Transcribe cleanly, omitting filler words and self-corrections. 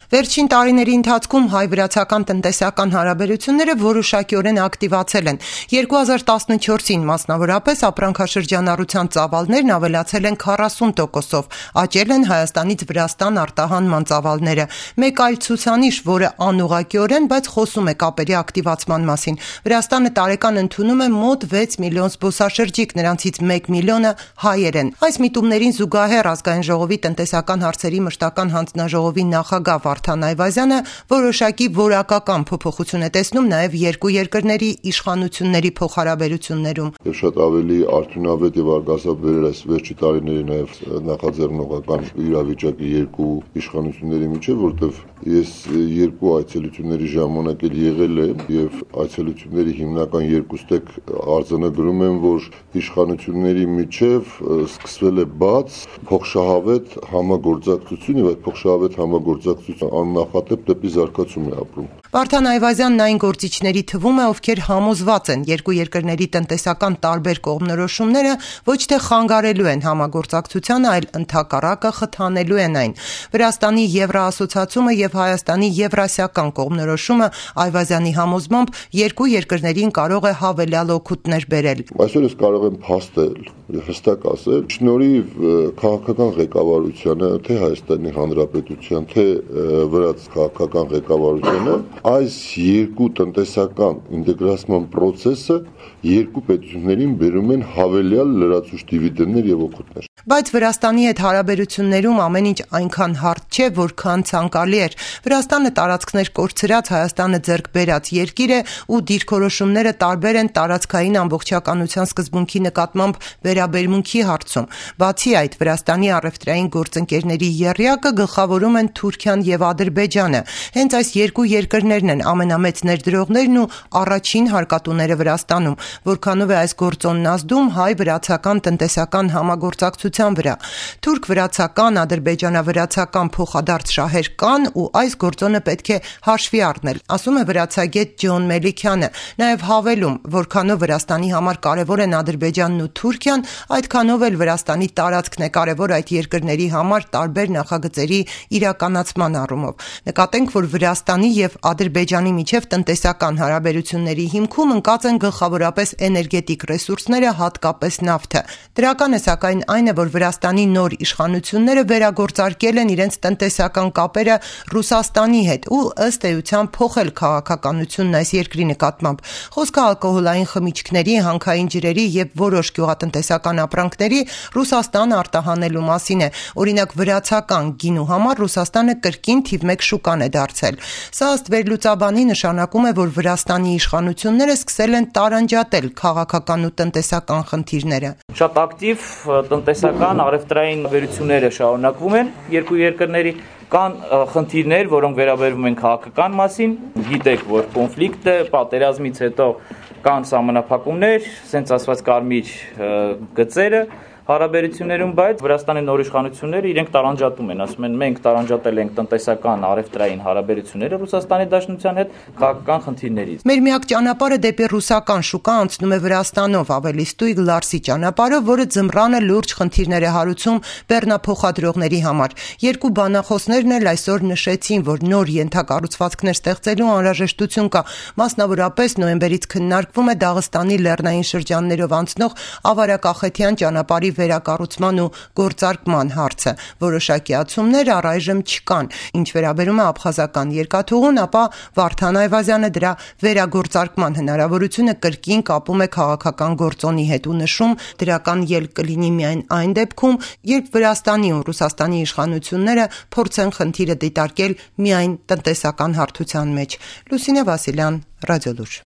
Վերջին տարիների ընթացքում հայ-վրացական տնտեսական հարաբերությունները որոշակիորեն ակտիվացել են։ 2014-ին մասնավորապես ապրանքաշրջանառության ծավալներն ավելացել են 40%-ով, աճել են Հայաստանից Վրաստան արտահանման ծավալները։ Մեկ այլ ցուցանիշ, որը անուղղակիորեն, բայց խոսում է կապերի ակտիվացման մասին։ Վրաստանը տարեկան ընդունում է մոտ 6 միլիոն զբոսաշրջիկ, նրանցից 1 միլիոնը հայեր են։ Այս միտումներին զուգահեռ Ազգային ժողովի տնտեսական հարցերի մշտական հանձնաժողովի նախագահ Վարդան Այվազյանը որոշակի որակական փոփոխություն է տեսնում նաև երկու երկրների իշխանությունների փոխհարաբերություններում։ Շատ ավելի արդյունավետ եւ արգասաբեր այս վերջի տարիների նաև նախաձեռնողական իրավիճակի երկու իշխանությունների միջև, որտեղ ես երկու այցելությունների ժամանակ էլ եղել եմ եւ այցելությունների հիմնական երկու ստեկ արձանագրում եմ, որ իշխանությունների միջև սկսվել է բաց փոխշահավետ համագործակցություն եւ այդ փոխշահավետ համագործակցությունը աննախադեպ դեպի զարգացում է ապրում։ Վարդան Այվազյանն այն գործիչների թվում է, ովքեր համոզված են երկու երկրների տնտեսական տարբեր կողմնորոշումները ոչ թե խանգարելու են համագործակցությանը, այլ ընդհակառակը խթանելու են այն։ Վրաստանի Եվրոասոցիացումը եւ Հայաստանի Եվրասիական կողմնորոշումը Այվազյանի համոզմամբ երկու երկրներին կարող է հավելյալ օգուտներ բերել։ Այսօր ես կարող եմ փաստել, հստակ ասել, շնորհիվ քաղաքական ղեկավարությանը, թե Հայաստանի Հանրապետության, թե վրաց քաղաքական ղեկավարությանը այս երկու տնտեսական ինտեգրացման process-ը երկու պետություններին բերում են հավելյալ լրացուցիչ դիվիդենդներ եւ օգուտներ։ Բայց Վրաստանի հետ հարաբերություններում ամեն ինչ այնքան հարթ չէ, որքան ցանկալի էր։ Վրաստանը տարածքներ կորցրած, Հայաստանը ձեռք բերած երկիր է ու դիրքորոշումները տարբեր են տարածքային ամբողջականության սկզբունքի նկատմամբ վերաբերմունքի հարցում։ Բացի այդ, Վրաստանի առևտրային գործընկերների եռյակը գլխավորում են Թուրքիան եւ Ադրբեջանը։ Հենց այս երկու երկրներն են ամենամեծ ներդրողներն ու առաջին հարկատուները Վրաստանում, որքանով է այս գործոնն ազդում հայ-վրացական տնտեսական համագործակցության վրա։ Թուրք-վրացական, ադրբեջանա-վրացական փոխադարձ շահեր կան ու այս գործոնը պետք է հաշվի առնել, ասում է վրացագետ Ջոն Մելիքյանը, նաև հավելում, որքանով Վրաստանի համար կարևոր են Ադրբեջանն ու Թուրքիան, այդքանով էլ Վրաստանի տարածքն է կարևոր այդ երկրների համար տարբեր նախագծերի իրականացման առումով։ Նկատենք, որ Վրաստանի եւ Ադրբեջանի միջև տնտեսական հարաբերությունների հիմքում ընկած են գլխավորապես էներգետիկ ռեսուրսները, հատկապես նավթը։ Դրական է սակայն այն է, որ Վրաստանի նոր իշխանությունները վերագործարկել են իրենց տնտեսական կապերը Ռուսաստանի հետ ու ըստ էության փոխել քաղաքականությունն այս երկրի նկատմամբ։ Խոսքը ալկոհոլային խմիչքների, հանքային ջրերի եւ որոշ գյուղատնտեսական ապրանքների Ռուսաստան արտահանելու մասին է։ Օրինակ վրացական գինու համար Ռուսաստանը կրկին թիվ 1 շուկան է դարձել։ Սա ըստ վերլուծաբանի նշանակում է, որ Վրաստանի իշխանությունները սկսել են տարանջատել քաղաքական ու տնտեսական խնդիրները։ Շատ ակտիվ տնտեսական առևտրային վերությունները շարունակվում են երկու երկրների կան խնդիրներ, որոնք վերաբերվում են քաղաքական մասին, գիտեք, որ կոնֆլիկտ է, պատերազմից հետո կան սահմանափակումներ, ասենց ասված կարմիր գծերը հարաբերություններում, բայց Վրաստանի նոր իշխանությունները իրենք տարանջատում են, ասում են մենք տարանջատել ենք տնտեսական առևտրային հարաբերությունները Ռուսաստանի Դաշնության հետ քաղաքական խնդիրներից։ Մեր միակ ճանապարհը դեպի ռուսական շուկա անցնում է Վրաստանով, ավելի ստույգ Լարսի ճանապարհը, որը ձմռանը լուրջ խնդիրներ է հարուցում բեռնափոխադրողների համար։ Երկու բանախոսներն էլ այսօր նշեցին, որ նոր ենթակառուցվածքներ ստեղծելու անհրաժեշտություն կա, մասնավորապես նոյեմբերից քննարկվում է Դաղստանի լեռնային շրջաններով անցնող Ավարակախեթյան ճանապարհի վերակառուցման ու գործարկման հարցը։ Որոշակի ացումներ առայժմ չկան։ Ինչ վերաբերում է աբխազական երկաթուղուն, ապա Վարդան Այվազյանը դրա վերագործարկման հնարավորությունը կրկին կապում է քաղաքական գործոնի հետ ու նշում, դրական ելք կլինի միայն այն դեպքում, երբ Վրաստանի ու Ռուսաստանի իշխանությունները փորձեն խնդիրը դիտարկել միայն տնտեսական հարթության մեջ։ Լուսինե Վասիլյան, Ռադիոլուր։